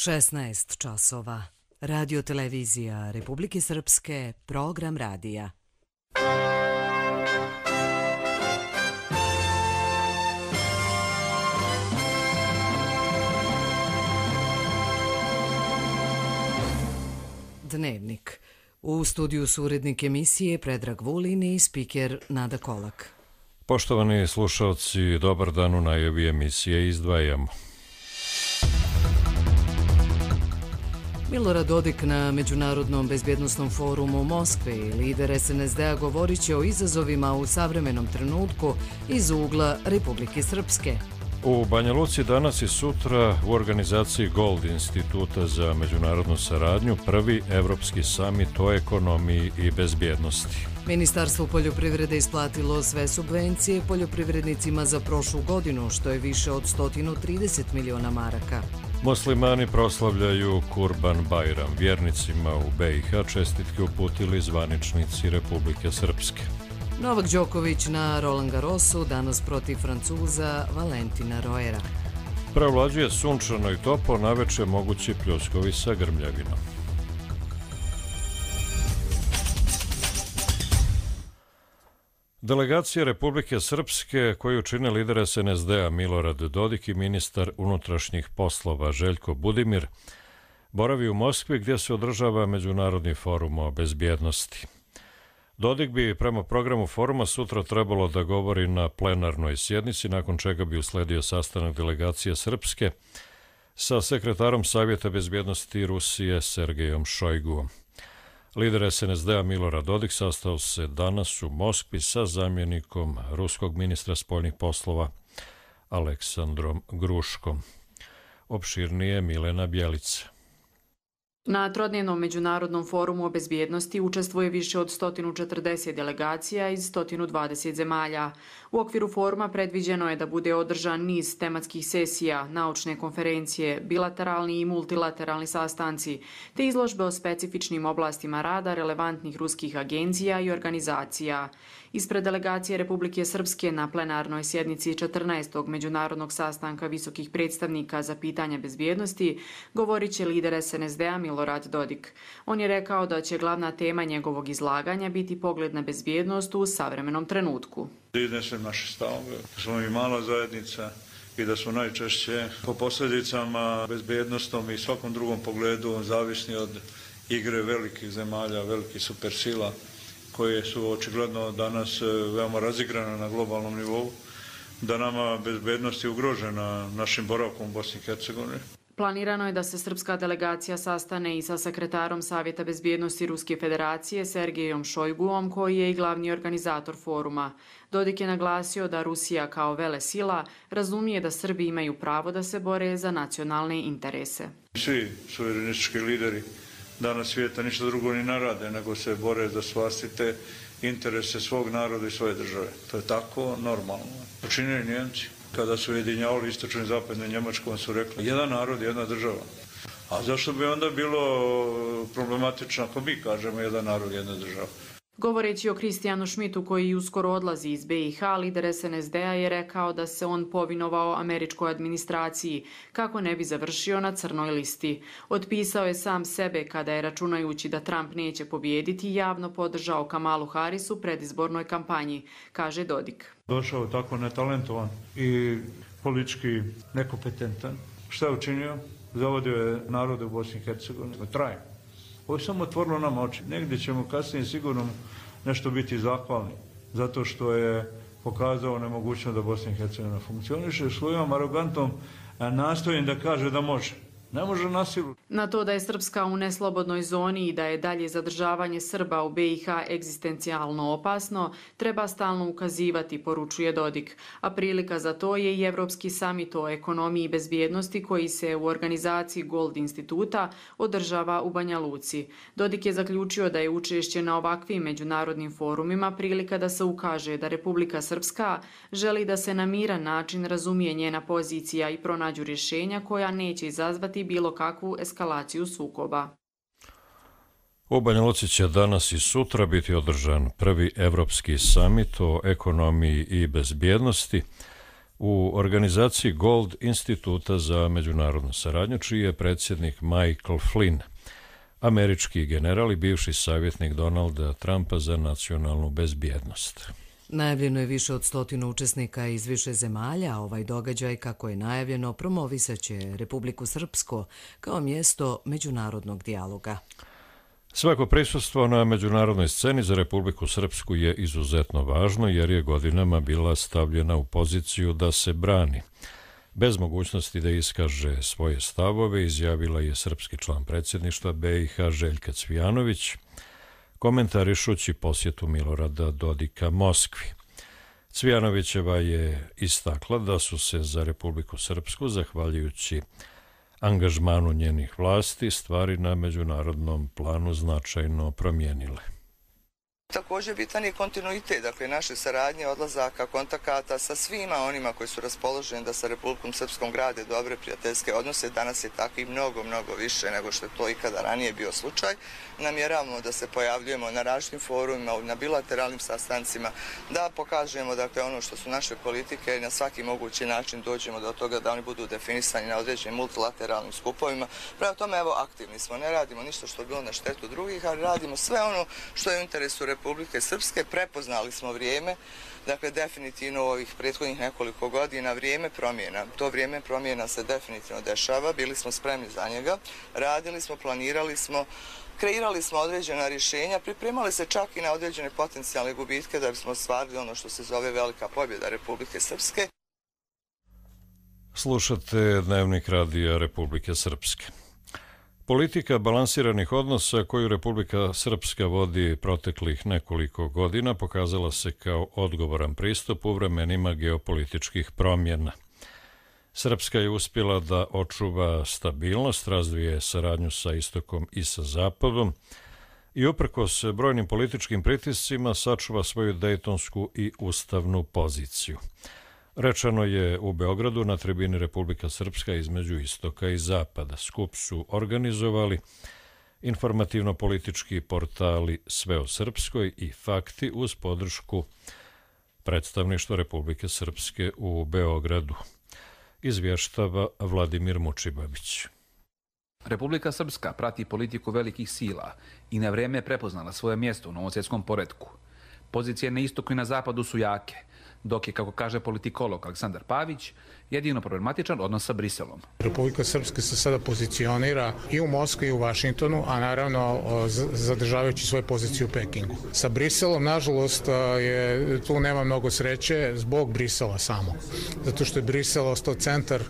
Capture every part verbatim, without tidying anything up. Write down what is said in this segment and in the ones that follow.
šesnaest časova. Radio televizija Republike Srpske, program radija. Dnevnik. U studiju su urednik emisije Predrag Vulin i spiker Nada Kolak. Poštovani slušalci, dobar dan, u najavi emisije izdvajamo. Milorad Dodik na Međunarodnom bezbjednosnom forumu u Moskvi, lider es en es de a govorit će o izazovima u savremenom trenutku iz ugla Republike Srpske. U Banja Luci danas i sutra u organizaciji Gold instituta za međunarodnu saradnju prvi evropski samit o ekonomiji i bezbjednosti. Ministarstvo poljoprivrede isplatilo sve subvencije poljoprivrednicima za prošlu godinu, što je više od sto trideset miliona maraka. Muslimani proslavljaju Kurban Bajram. Vjernicima u be i ha čestitke uputili zvaničnici Republike Srpske. Novak Đoković na Roland Garrosu danas protiv Francuza Valentina Roera. Prevlađuje sunčano i toplo, naveče mogući pljuskovi sa grmljavinom. Delegacija Republike Srpske, koju čine lider es en es de a Milorad Dodik i ministar unutrašnjih poslova Željko Budimir, boravi u Moskvi gdje se održava Međunarodni forum o bezbjednosti. Dodik bi prema programu foruma sutra trebalo da govori na plenarnoj sjednici, nakon čega bi usledio sastanak delegacije Srpske sa sekretarom Savjeta bezbjednosti Rusije Sergejom Šojguom. Lider es en es de a Milorad Dodik sastao se danas u Moskvi sa zamjenikom ruskog ministra spoljnih poslova Aleksandrom Gruškom. Opširnije Milena Bjelica. Na trodnevnom međunarodnom forumu o bezbjednosti učestvuje više od sto četrdeset delegacija iz sto dvadeset zemalja. U okviru foruma predviđeno je da bude održan niz tematskih sesija, naučne konferencije, bilateralni i multilateralni sastanci, te izložbe o specifičnim oblastima rada relevantnih ruskih agencija i organizacija. Ispred delegacije Republike Srpske na plenarnoj sjednici četrnaestog međunarodnog sastanka visokih predstavnika za pitanja bezbjednosti govorit će lider es en es de a Milorad Dodik. On je rekao da će glavna tema njegovog izlaganja biti pogled na bezbjednost u savremenom trenutku. Da iznesem naše stavove, da smo mi mala zajednica i da smo najčešće po posljedicama bezbjednostom i svakom drugom pogledu zavisni od igre velikih zemalja, velikih supersila, koje su očigledno danas veoma razigrane na globalnom nivou, da nama bezbednost je ugrožena našim boravkom u Bosni i Hercegovini. Planirano je da se srpska delegacija sastane i sa sekretarom Savjeta bezbjednosti Ruske federacije Sergejom Šojguom, koji je i glavni organizator foruma. Dodik je naglasio da Rusija kao velesila razumije da Srbi imaju pravo da se bore za nacionalne interese. Svi suverenistički lideri danas svijeta ništa drugo ni narade, nego se bore za vlastite interese svog naroda i svoje države. To je tako normalno. Učinili Njemci. Kada su ujedinjavali istočnu i zapadnu Njemačku, on su rekli jedan narod, jedna država. A zašto bi onda bilo problematično ako mi kažemo jedan narod, jedna država? Govoreći o Kristijanu Šmitu, koji uskoro odlazi iz be i ha, lider es en es de a je rekao da se on povinovao američkoj administraciji kako ne bi završio na crnoj listi. Otpisao je sam sebe kada je, računajući da Trump neće pobijediti, javno podržao Kamalu Harris u predizbornoj kampanji, kaže Dodik. Došao tako netalentovan i politički nekompetentan. Šta je učinio? Zavodio je narode u Bosni i Hercegovini. Traje. Ovo je samo otvorilo nam oči. Negdje ćemo kasnije sigurno nešto biti zahvalni, zato što je pokazao nemogućnost da Bosna i Hercegovina funkcioniše. Svojom arogantom nastojim da kaže da može. Ne može na silu. Na to da je Srpska u neslobodnoj zoni i da je dalje zadržavanje Srba u be i ha egzistencijalno opasno, treba stalno ukazivati, poručuje Dodik. A prilika za to je i Evropski samit o ekonomiji i bezbjednosti koji se u organizaciji Gold instituta održava u Banja Luci. Dodik je zaključio da je učešće na ovakvim međunarodnim forumima prilika da se ukaže da Republika Srpska želi da se na miran način razumije njena pozicija i pronađu rješenja koja neće izazvati bilo kakvu eskalaciju sukoba. U Banja Luci će danas i sutra biti održan prvi evropski samit o ekonomiji i bezbjednosti. u organizaciji Gold instituta za međunarodnu saradnju, čiji je predsjednik Michael Flynn, američki general i bivši savjetnik Donalda Trumpa za nacionalnu bezbjednost. Najavljeno je više od stotinu učesnika iz više zemalja, a ovaj događaj, kako je najavljeno, promovisaće Republiku Srpsku kao mjesto međunarodnog dijaloga. Svako prisustvo na međunarodnoj sceni za Republiku Srpsku je izuzetno važno jer je godinama bila stavljena u poziciju da se brani. Bez mogućnosti da iskaže svoje stavove, izjavila je srpski član predsjedništva B i H Željka Cvijanović, komentarišući posjetu Milorada Dodika Moskvi. Cvijanovićeva je istakla da su se za Republiku Srpsku, zahvaljujući angažmanu njenih vlasti, stvari na međunarodnom planu značajno promijenile. Također bitan je kontinuitet, dakle naše saradnje, odlazaka, kontakata sa svima onima koji su raspoloženi da sa Republikom Srpskom grade dobre prijateljske odnose. Danas je tako i mnogo, mnogo više nego što je to ikada ranije bio slučaj. Namjeravamo da se pojavljujemo na različitim forumima, na bilateralnim sastancima, da pokažemo dakle ono što su naše politike i na svaki mogući način dođemo do toga da oni budu definisani na određenim multilateralnim skupovima. Prema tome, evo, aktivni smo, ne radimo ništa što je bilo na štetu drugih, ali radimo sve ono što je u interesu Republike Srpske. Prepoznali smo vrijeme, dakle definitivno u ovih prethodnih nekoliko godina vrijeme promjena. To vrijeme promjena se definitivno dešava, bili smo spremni za njega, radili smo, planirali smo, kreirali smo određena rješenja, pripremali se čak i na određene potencijalne gubitke da bismo ostvarili ono što se zove velika pobjeda Republike Srpske. Slušate Dnevnik radija Republike Srpske. Politika balansiranih odnosa koju Republika Srpska vodi proteklih nekoliko godina pokazala se kao odgovoran pristup u vremenima geopolitičkih promjena. Srpska je uspjela da očuva stabilnost, razvije saradnju sa istokom i sa zapadom i uprkos brojnim političkim pritiscima sačuva svoju dejtonsku i ustavnu poziciju. Rečeno je u Beogradu na tribini Republika Srpska između istoka i zapada. Skup su organizovali informativno-politički portali Sve o Srpskoj i Fakti uz podršku predstavništva Republike Srpske u Beogradu. Izvještava Vladimir Mučibabić. Republika Srpska prati politiku velikih sila i na vrijeme je prepoznala svoje mjesto u novom svjetskom poretku. Pozicije na istoku i na zapadu su jake, dok je, kako kaže politikolog Aleksandar Pavić, jedino problematičan odnos sa Briselom. Republika Srpska se sada pozicionira i u Moskvi i u Vašingtonu, a naravno zadržavajući svoju poziciju u Pekingu. Sa Briselom, nažalost, je, tu nema mnogo sreće zbog Brisela samog. Zato što je Brisel ostao centar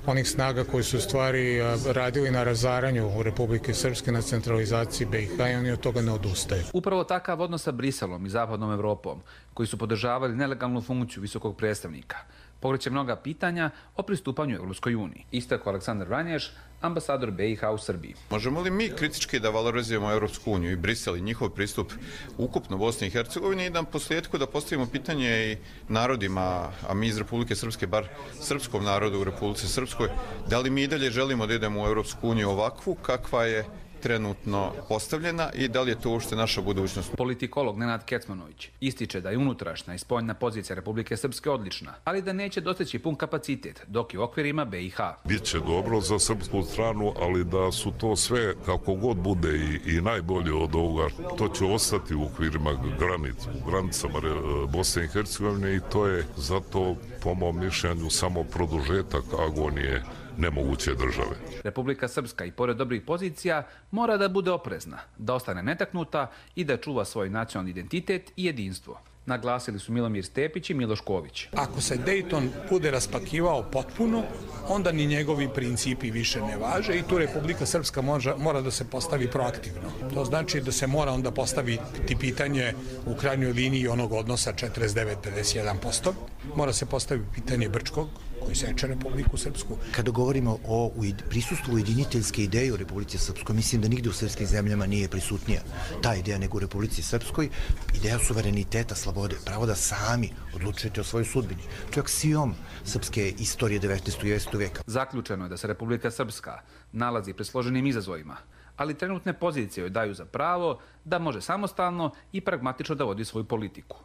onih snaga koji su u stvari radili na razaranju Republike Srpske, na centralizaciji B i H i oni od toga ne odustaju. Upravo takav odnos sa Briselom i zapadnom Evropom, koji su podržavali nelegalnu funkciju visokog predstavnika, pokreće mnoga pitanja o pristupanju Evropskoj uniji. Istakao Aleksandar Vranješ, ambasador B i H u Srbiji. Možemo li mi kritički da valorizujemo Evropsku uniju i Brisel i njihov pristup ukupno Bosni i Hercegovini i da posljedku da postavimo pitanje i narodima, a mi iz Republike Srpske, bar srpskom narodu u Republici Srpskoj, da li mi i dalje želimo da idemo u Evropsku uniju ovakvu kakva je trenutno postavljena i da li je to uopšte naša budućnost? Politikolog Nenad Kecmanović ističe da je unutrašnja i spoljna pozicija Republike Srpske odlična, ali da neće dostići pun kapacitet, dok je u okvirima B i H. Biće dobro za srpsku stranu, ali da su to sve, kako god bude i, i najbolje od ovoga, to će ostati u okvirima granic, u granicama Bosne i Hercegovine i to je zato, po mom mišljenju, samo produžetak agonije nemoguće države. Republika Srpska i pored dobrih pozicija mora da bude oprezna, da ostane netaknuta i da čuva svoj nacionalni identitet i jedinstvo. Naglasili su Milomir Stepić i Miloš Ković. Ako se Dayton bude raspakivao potpuno, onda ni njegovi principi više ne važe i tu Republika Srpska može, mora da se postavi proaktivno. To znači da se mora onda postaviti pitanje u krajnjoj liniji onog odnosa četrdeset devet pedeset jedan posto. Mora se postaviti pitanje Brčkog, koji seče Republiku Srpsku. Kada govorimo o prisustvu ujediniteljske ideje u Republici Srpskoj, mislim da nigde u srpskim zemljama nije prisutnija ta ideja nego u Republici Srpskoj, ideja suvereniteta, slobode, pravo da sami odlučujete o svojoj sudbini. To je aksiom srpske istorije devetnaestog i dvadesetog veka. Zaključeno je da se Republika Srpska nalazi pred složenim izazovima, ali trenutne pozicije joj daju za pravo da može samostalno i pragmatično da vodi svoju politiku.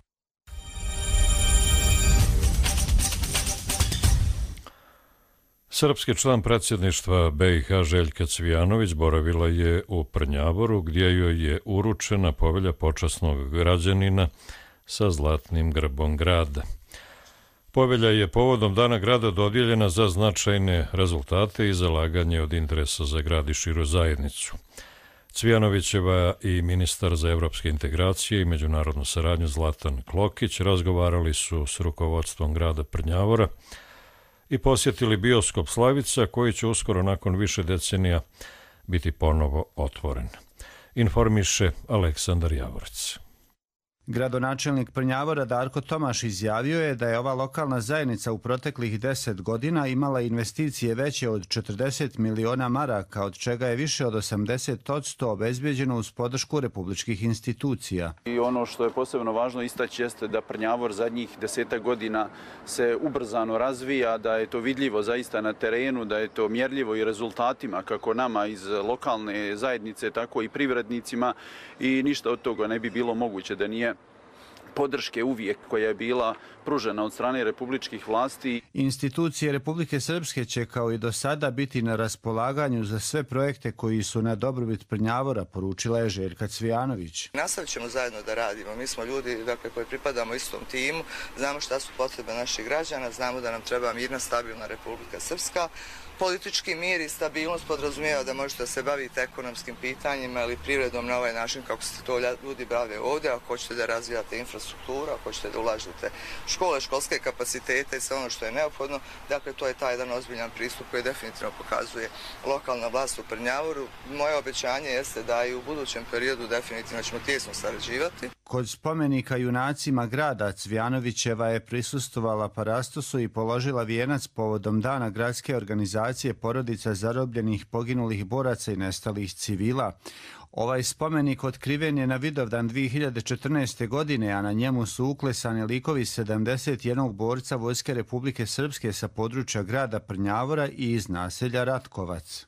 Srpski član predsjedništva B i H Željka Cvijanović boravila je u Prnjavoru gdje joj je uručena povelja počasnog građanina sa zlatnim grbom grada. Povelja je povodom Dana grada dodijeljena za značajne rezultate i zalaganje od interesa za grad i širu zajednicu. Cvijanovićeva i ministar za evropske integracije i međunarodnu saradnju Zlatan Klokić razgovarali su s rukovodstvom grada Prnjavora i posjetili bioskop Slavica koji će uskoro nakon više decenija biti ponovo otvoren. Informiše Aleksandar Javorec. Gradonačelnik Prnjavora Darko Tomaš izjavio je da je ova lokalna zajednica u proteklih deset godina imala investicije veće od četrdeset miliona maraka, od čega je više od osamdeset posto obezbeđeno uz podršku republičkih institucija. I ono što je posebno važno istaći jeste da Prnjavor zadnjih desetak godina se ubrzano razvija, da je to vidljivo zaista na terenu, da je to mjerljivo i rezultatima kako nama iz lokalne zajednice, tako i privrednicima i ništa od toga ne bi bilo moguće da nije podrške uvijek koja je bila pružena od strane republičkih vlasti. Institucije Republike Srpske će kao i do sada biti na raspolaganju za sve projekte koji su na dobrobit Prnjavora, poručila je Željka Cvijanović. Nastavit ćemo zajedno da radimo. Mi smo ljudi dakle, koji pripadamo istom timu, znamo šta su potrebe naših građana, znamo da nam treba mirna, stabilna Republika Srpska. Politički mir i stabilnost podrazumijeva da možete se baviti ekonomskim pitanjima ili privredom na ovaj način kako se to ljudi bave ovdje, ako hoćete da razvijate infrastrukturu, ako hoćete da ulažete škole, školske kapacitete i sve ono što je neophodno. Dakle, to je taj jedan ozbiljan pristup koji definitivno pokazuje lokalna vlast u Prnjavoru. Moje obećanje jeste da i u budućem periodu definitivno ćemo tijesno sarađivati. Kod spomenika junacima grada Cvijanovićeva je prisustvovala parastosu i položila vijenac povodom Dana gradske organizacije porodica zarobljenih, poginulih boraca i nestalih civila. Ovaj spomenik otkriven je na Vidovdan dvije hiljade četrnaeste. godine, a na njemu su uklesani likovi sedamdeset jednog borca Vojske Republike Srpske sa područja grada Prnjavora i iz naselja Ratkovac.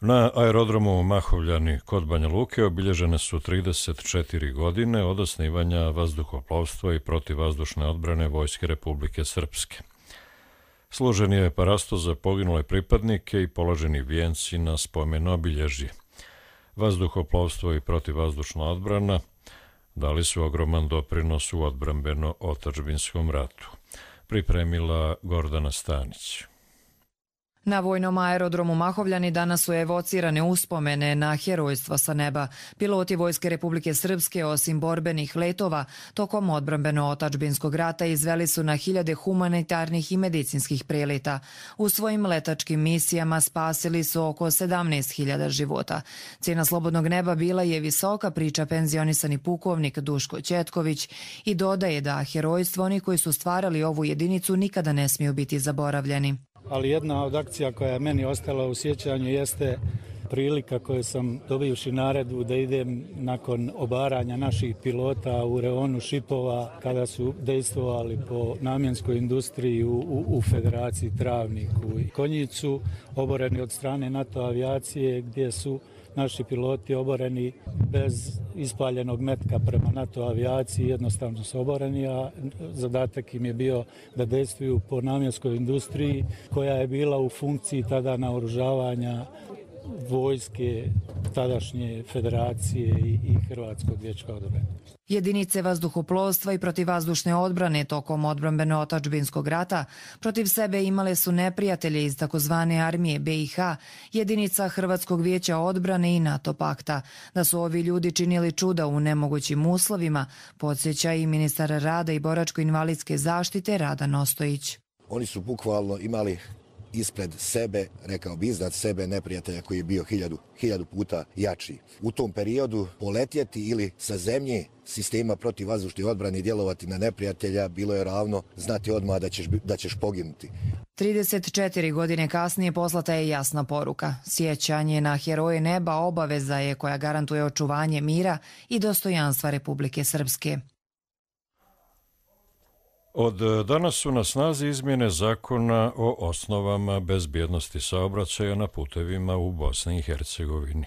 Na aerodromu Mahovljani kod Banja Luke obilježene su trideset četiri godine od osnivanja vazduhoplovstva i protivvazdušne odbrane Vojske Republike Srpske. Služen je parastos za poginule pripadnike i položeni vijenci na spomen obilježje. Vazduhoplovstvo i protivvazdušna odbrana dali su ogroman doprinos u odbrambeno-otadžbinskom ratu. Pripremila Gordana Stanić. Na vojnom aerodromu Mahovljani danas su evocirane uspomene na herojstvo sa neba. Piloti Vojske Republike Srpske, osim borbenih letova, tokom odbrambeno-otadžbinskog rata izveli su na hiljade humanitarnih i medicinskih preleta. U svojim letačkim misijama spasili su oko sedamnaest hiljada života. Cijena slobodnog neba bila je visoka, priča penzionisani pukovnik Duško Ćetković i dodaje da herojstvo oni koji su stvarali ovu jedinicu nikada ne smiju biti zaboravljeni. Ali jedna od akcija koja je meni ostala u sjećanju jeste prilika koju sam dobivši naredbu da idem nakon obaranja naših pilota u reonu šipova kada su dejstvovali po namjenskoj industriji u, u, u Federaciji Travniku i Konjicu, oboreni od strane NATO avijacije gdje su naši piloti oboreni bez ispaljenog metka prema NATO avijaciji, jednostavno su oboreni, a zadatak im je bio da dejstvuju po namjenskoj industriji koja je bila u funkciji tada naoružavanja vojske tadašnje federacije i, i Hrvatskog vijeća odbrane. Jedinice vazduhoplovstva i protivvazdušne odbrane tokom odbrambeno-otadžbinskog rata protiv sebe imale su neprijatelje iz takozvane armije B i H, jedinica Hrvatskog vijeća odbrane i NATO pakta. Da su ovi ljudi činili čuda u nemogućim uslovima, podsjeća i ministar rada i boračko-invalidske zaštite Rada Nostojić. Oni su bukvalno imali ispred sebe, rekao bi iznad sebe, neprijatelja koji je bio hiljadu, hiljadu puta jači. U tom periodu poletjeti ili sa zemlje sistema protivvazdušne odbrane djelovati na neprijatelja bilo je ravno znati odmah da ćeš, da ćeš poginuti. trideset četiri godine kasnije poslata je jasna poruka. Sjećanje na heroje neba obaveza je koja garantuje očuvanje mira i dostojanstva Republike Srpske. Od danas su na snazi izmjene zakona o osnovama bezbjednosti saobraćaja na putevima u Bosni i Hercegovini.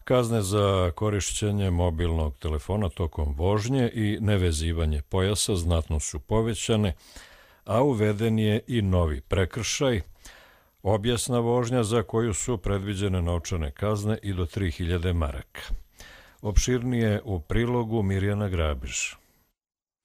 Kazne za korišćenje mobilnog telefona tokom vožnje i nevezivanje pojasa znatno su povećane, a uveden je i novi prekršaj Obijesna vožnja za koju su predviđene novčane kazne i do tri hiljade maraka. Opširnije u prilogu Mirjana Grabiž.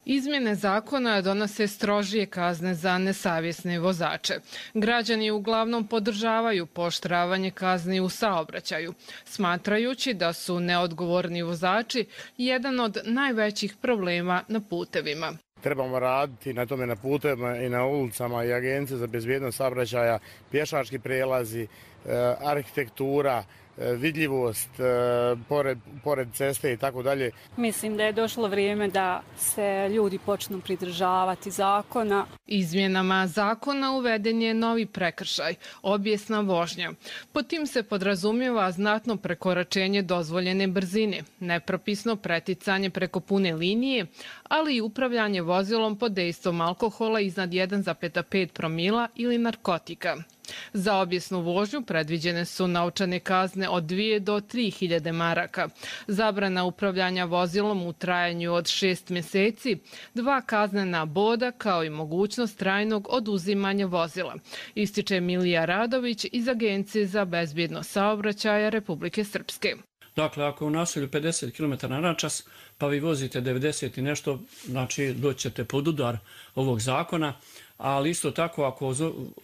Izmjene zakona donose strožije kazne za nesavjesne vozače. Građani uglavnom podržavaju pooštravanje kazni u saobraćaju, smatrajući da su neodgovorni vozači jedan od najvećih problema na putevima. Trebamo raditi na tome na putevima i na ulicama i agencije za bezbjednost saobraćaja, pješački prijelazi, arhitektura, vidljivost pored, pored ceste i tako dalje. Mislim da je došlo vrijeme da se ljudi počnu pridržavati zakona. Izmjenama zakona uveden je novi prekršaj, obijesna vožnja. Pod tim se podrazumijeva znatno prekoračenje dozvoljene brzine, nepropisno preticanje preko pune linije, ali i upravljanje vozilom pod dejstvom alkohola iznad jedan zarez pet promila ili narkotika. Za obijesnu vožnju predviđene su novčane kazne od dvije do tri hiljade maraka, zabrana upravljanja vozilom u trajanju od šest mjeseci, dva kaznena boda kao i mogućnost trajnog oduzimanja vozila, ističe Milija Radović iz Agencije za bezbjednost saobraćaja Republike Srpske. Dakle, ako je u naselju pedeset kilometara na čas, pa vi vozite devedeset i nešto, znači doćete pod udar ovog zakona, ali isto tako ako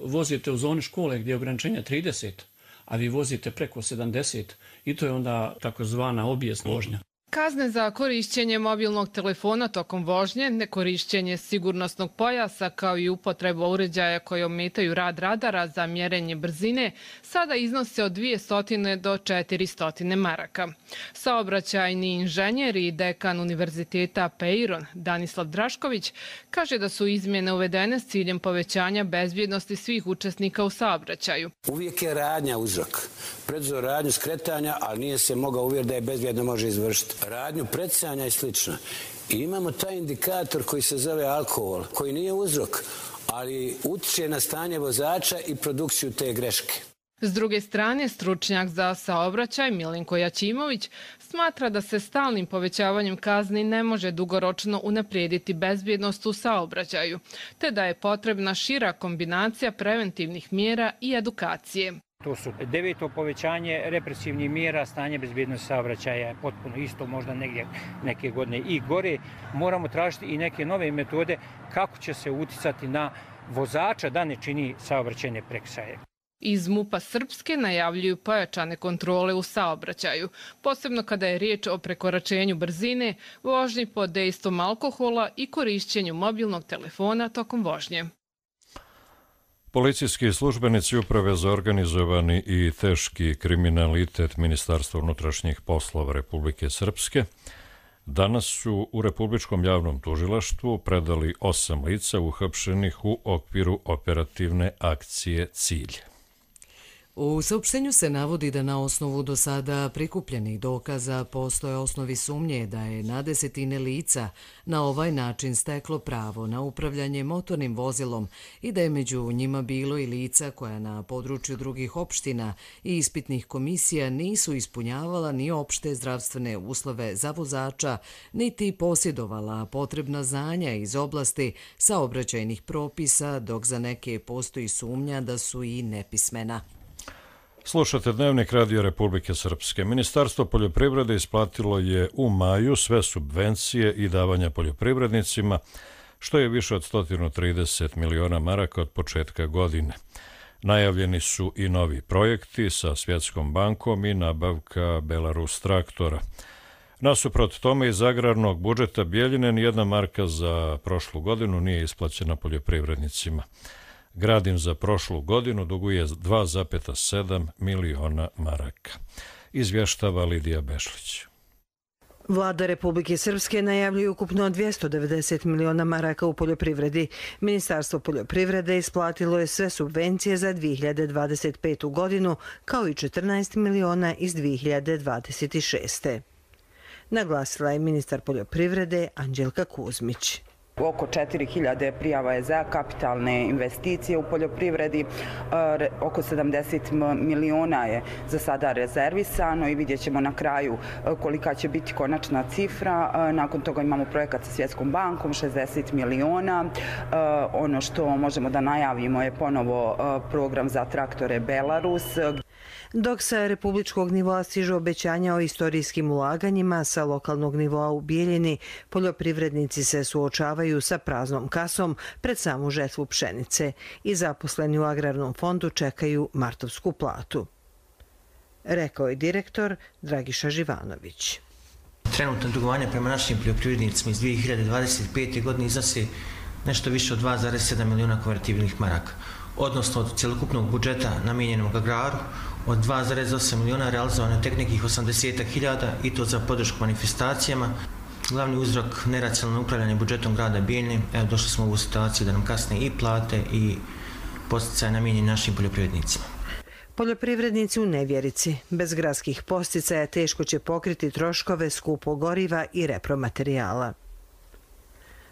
vozite u zoni škole gdje je ograničenje trideset, a vi vozite preko sedamdeset, i to je onda takozvana obijesna vožnja. Kazne za korišćenje mobilnog telefona tokom vožnje, nekorišćenje sigurnosnog pojasa kao i upotreba uređaja koji ometaju rad radara za mjerenje brzine sada iznose od dvjesto do četiristo maraka. Saobraćajni inženjer i dekan Univerziteta Peiron Danislav Drašković kaže da su izmjene uvedene s ciljem povećanja bezbjednosti svih učesnika u saobraćaju. Uvijek je radnja uzrok. Preduzeo radnju skretanja, ali nije se mogao uvjeriti da je bezbjedno može izvršiti. Radnju predsjanja i slično. I imamo taj indikator koji se zove alkohol, koji nije uzrok, ali utiče na stanje vozača i produkciju te greške. S druge strane, stručnjak za saobraćaj Milenko Jačimović smatra da se stalnim povećavanjem kazni ne može dugoročno unaprijediti bezbjednost u saobraćaju, te da je potrebna šira kombinacija preventivnih mjera i edukacije. To su deveto povećanje represivnih mjera, stanje bezbjednosti saobraćaja je potpuno isto, možda negdje neke godine i gore. Moramo tražiti i neke nove metode kako će se uticati na vozača da ne čini saobraćajne prekršaje. Iz MUP-a Srpske najavljuju pojačane kontrole u saobraćaju, posebno kada je riječ o prekoračenju brzine, vožnji pod dejstvom alkohola i korišćenju mobilnog telefona tokom vožnje. Policijski službenici Uprave za organizovani i teški kriminalitet Ministarstva unutrašnjih poslova Republike Srpske danas su u Republičkom javnom tužilaštvu predali osam lica uhapšenih u okviru operativne akcije Cilj. U saopštenju se navodi da na osnovu do sada prikupljenih dokaza postoje osnovi sumnje da je na desetine lica na ovaj način steklo pravo na upravljanje motornim vozilom i da je među njima bilo i lica koja na području drugih opština i ispitnih komisija nisu ispunjavala ni opšte zdravstvene uslove za vozača, niti posjedovala potrebna znanja iz oblasti saobraćajnih propisa, dok za neke postoji sumnja da su i nepismena. Slušate Dnevnik Radio Republike Srpske. Ministarstvo poljoprivrede isplatilo je u maju sve subvencije i davanja poljoprivrednicima, što je više od sto trideset miliona maraka od početka godine. Najavljeni su i novi projekti sa Svjetskom bankom i nabavka Belarus traktora. Nasuprot tome iz agrarnog budžeta Bjeljine nijedna marka za prošlu godinu nije isplaćena poljoprivrednicima. Gradim za prošlu godinu duguje dva zarez sedam miliona maraka. Izvještava Lidija Bešlić. Vlada Republike Srpske najavljuje ukupno dvjesto devedeset miliona maraka u poljoprivredi. Ministarstvo poljoprivrede isplatilo je sve subvencije za dvije hiljade dvadeset petu godinu, kao i četrnaest miliona iz dvije hiljade dvadeset šeste. Naglasila je ministar poljoprivrede Anđelka Kuzmić. Oko četiri hiljade prijava je za kapitalne investicije u poljoprivredi, oko sedamdeset miliona je za sada rezervisano i vidjet ćemo na kraju kolika će biti konačna cifra. Nakon toga imamo projekat sa Svjetskom bankom, šezdeset miliona. Ono što možemo da najavimo je ponovo program za traktore Belarus. Dok sa republičkog nivoa stižu obećanja o istorijskim ulaganjima, sa lokalnog nivoa u Bijeljini poljoprivrednici se suočavaju sa praznom kasom pred samu žetvu pšenice i zaposleni u Agrarnom fondu čekaju martovsku platu. Rekao je direktor Dragiša Živanović. Trenutno dugovanje prema našim poljoprivrednicima iz dvije hiljade dvadeset pete. godine iznosi nešto više od dva zarez sedam miliona konvertibilnih maraka, odnosno od cjelokupnog budžeta namijenjenog agraru od dva zarez osam miliona realizovano je tek nekih osamdeset hiljada i to za podršku manifestacijama. Glavni uzrok neracionalno upravljanje budžetom grada Bijeljine, evo došli smo u ovu situaciju da nam kasne i plate i posticaje namijenjeni našim poljoprivrednicima. Poljoprivrednici u nevjerici. Bez gradskih posticaja teško će pokriti troškove skupog goriva i repromaterijala.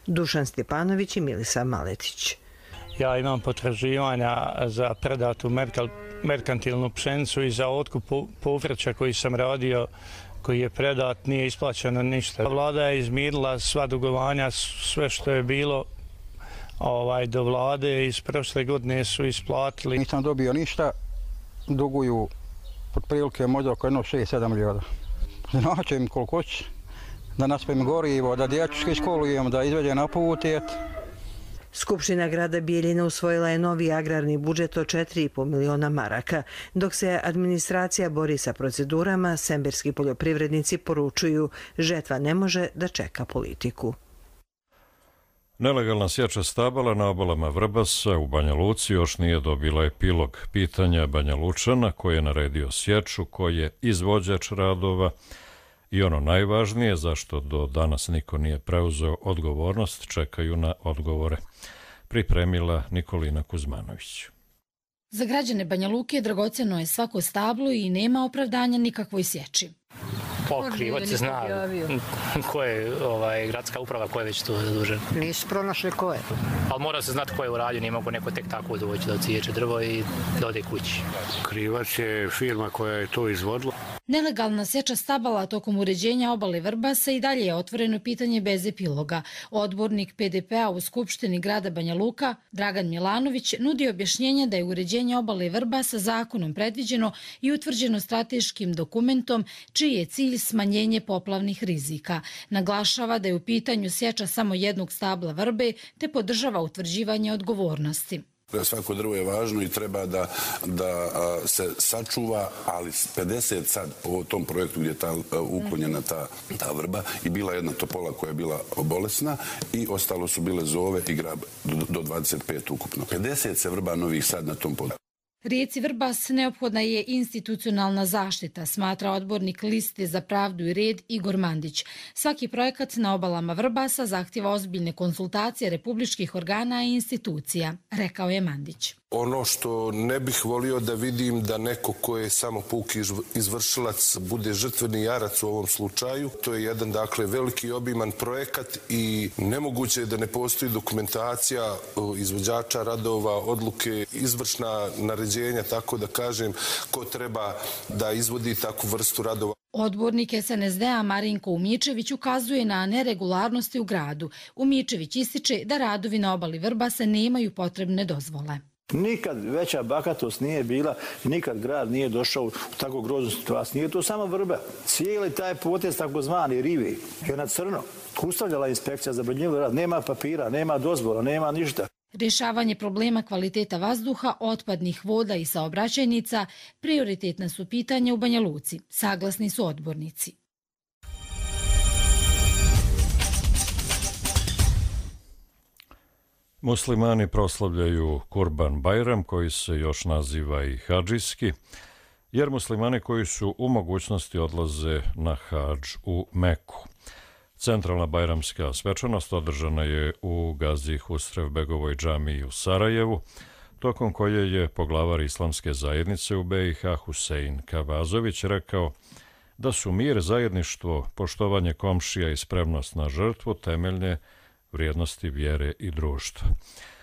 Dušan Stjepanović i Milisa Maletić. Ja imam potraživanja za predatu merkantilnu pšenicu i za otkup povrća koji sam radio, koji je predat, nije isplaćeno ništa. Vlada je izmirila sva dugovanja, sve što je bilo ovaj, do vlade iz prošle godine su isplatili. Nisam dobio ništa, duguju otprilike možda oko jedno šest sedam milijuna. Znači im koliko će, da naspem gorivo, da dječke školujemo, da izvede na put. Skupština grada Bijeljina usvojila je novi agrarni budžet od četiri i po miliona maraka. Dok se administracija bori sa procedurama, semberski poljoprivrednici poručuju žetva ne može da čeka politiku. Nelegalna sječa stabala na obalama Vrbasa u Banja Luci još nije dobila epilog. Pitanja Banja Lučana koji je naredio sječu, koji je izvođač radova i ono najvažnije, zašto do danas niko nije preuzeo odgovornost, čekaju na odgovore. Pripremila Nikolina Kuzmanović. Za građane Banja Luke dragoceno je svako stablo i nema opravdanja nikakvoj sječi. Pokrivac se zna ko je ovaj, gradska uprava, ko je već tu zadužen. Nisu pronašli ko je. Ali mora se znati ko je uradio, nije mogu neko tek tako doći da ociječe drvo i da ode kući. Krivac je firma koja je to izvodila. Nelegalna sječa stabala tokom uređenja obale Vrbasa i dalje je otvoreno pitanje bez epiloga. Odbornik P D P-a u Skupštini grada Banja Luka, Dragan Milanović, nudi objašnjenje da je uređenje obale Vrbasa zakonom predviđeno i utvrđeno strateškim dokumentom čiji je cilj smanjenje poplavnih rizika. Naglašava da je u pitanju sječa samo jednog stabla vrbe te podržava utvrđivanje odgovornosti. Svako drvo je važno i treba da, da se sačuva, ali pedeset sad po tom projektu gdje je ta, uklonjena ta, ta vrba i bila jedna topola koja je bila bolesna i ostalo su bile zove i grab do, do dvadeset pet ukupno. pedeset se vrba novih sad na tom području. Rijeci Vrbas neophodna je institucionalna zaštita, smatra odbornik Liste za pravdu i red Igor Mandić. Svaki projekat na obalama Vrbasa zahtjeva ozbiljne konsultacije republičkih organa i institucija, rekao je Mandić. Ono što ne bih volio da vidim da neko ko je samo puki izvršilac bude žrtveni jarac u ovom slučaju. To je jedan, dakle, veliki obiman projekat i nemoguće je da ne postoji dokumentacija izvođača radova, odluke, izvršna naređenja, tako da kažem, ko treba da izvodi takvu vrstu radova. Odbornik S N S D-a Marinko Umičević ukazuje na neregularnosti u gradu. Umičević ističe da radovi na obali Vrbasa nemaju potrebne dozvole. Nikad veća bahatost nije bila, nikad grad nije došao u tako groznu situaciju. Nije to samo vrba. Cijeli taj potez takozvani rivi je na crno. Ustavljala inspekcija za branjivu rad. Nema papira, nema dozvola, nema ništa. Rješavanje problema kvaliteta vazduha, otpadnih voda i saobraćajnica prioritetna su pitanja u Banja Luci, saglasni su odbornici. Muslimani proslavljaju Kurban Bajram, koji se još naziva i hadžijski, jer muslimani koji su u mogućnosti odlaze na hadž u Meku. Centralna bajramska svečanost održana je u Gazi Husrevbegovoj džamiji u Sarajevu, tokom koje je poglavar islamske zajednice u B i H Husein Kavazović rekao da su mir, zajedništvo, poštovanje komšija i spremnost na žrtvu temeljne vrijednosti vjere i društva.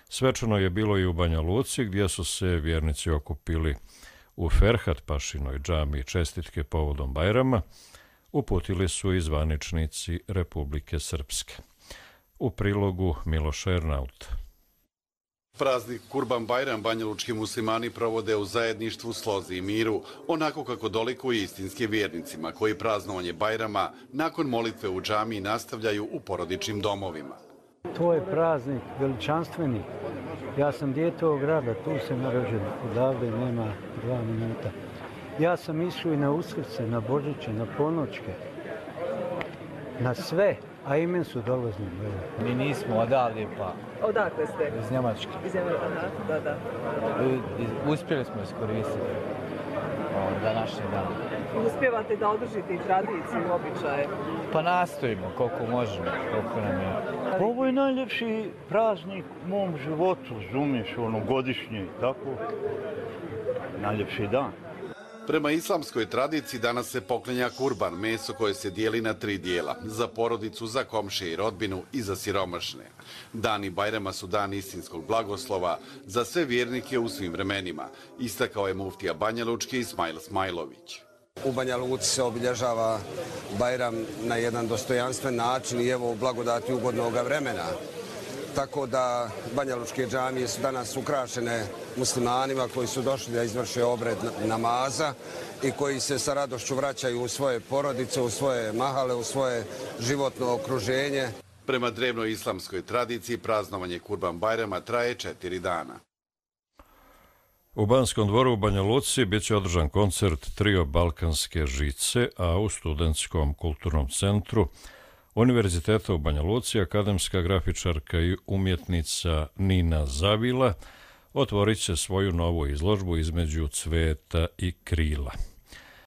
Svečano je bilo i u Banja Luci, gdje su se vjernici okupili u Ferhat Pašinoj džamiji. Čestitke povodom Bajrama uputili su i zvaničnici Republike Srpske. U prilogu Miloš Ernaut. Praznik Kurban Bajram banjalučki muslimani provode u zajedništvu, slozi i miru, onako kako dolikuje istinskim vjernicima, koji praznovanje Bajrama nakon molitve u džamiji nastavljaju u porodičnim domovima. To je praznik veličanstveni. Ja sam dijete ovog grada, tu sam narođen, odavde nema dva minuta. Ja sam išao i na Uskrse, na Božiće, na ponoćke, na sve, a imen su dolazili. Mi nismo odavde, pa... Odakle ste? Iz Njemačke. Iz Njemačke, aha, da, da. Uspjeli smo iskoristiti današnji dan. Uspjevate da održite i tradiciju i običaje? Pa nastojimo koliko možemo, koliko nam je. Ovo je najljepši praznik u mom životu, razumiješ, ono godišnje, tako? Najljepši dan. Prema islamskoj tradiciji danas se poklenja kurban, meso koje se dijeli na tri dijela, za porodicu, za komšije i rodbinu i za siromašne. Dani Bajrama su dan istinskog blagoslova za sve vjernike u svim vremenima, istakao je muftija banjalučki Ismail Smajlović. U Banja Luci se obilježava Bajram na jedan dostojanstven način i evo u blagodati ugodnog vremena. Tako da banjalučke džamije su danas ukrašene muslimanima koji su došli da izvrše obred namaza i koji se sa radošću vraćaju u svoje porodice, u svoje mahale, u svoje životno okruženje. Prema drevnoj islamskoj tradiciji praznovanje Kurban Bajrama traje četiri dana. U Banskom dvoru u Banja Luci bit će održan koncert Trio Balkanske žice, a u Studentskom kulturnom centru Univerziteta u Banja Luci akademska grafičarka i umjetnica Nina Zavila otvorit će svoju novu izložbu Između cveta i krila.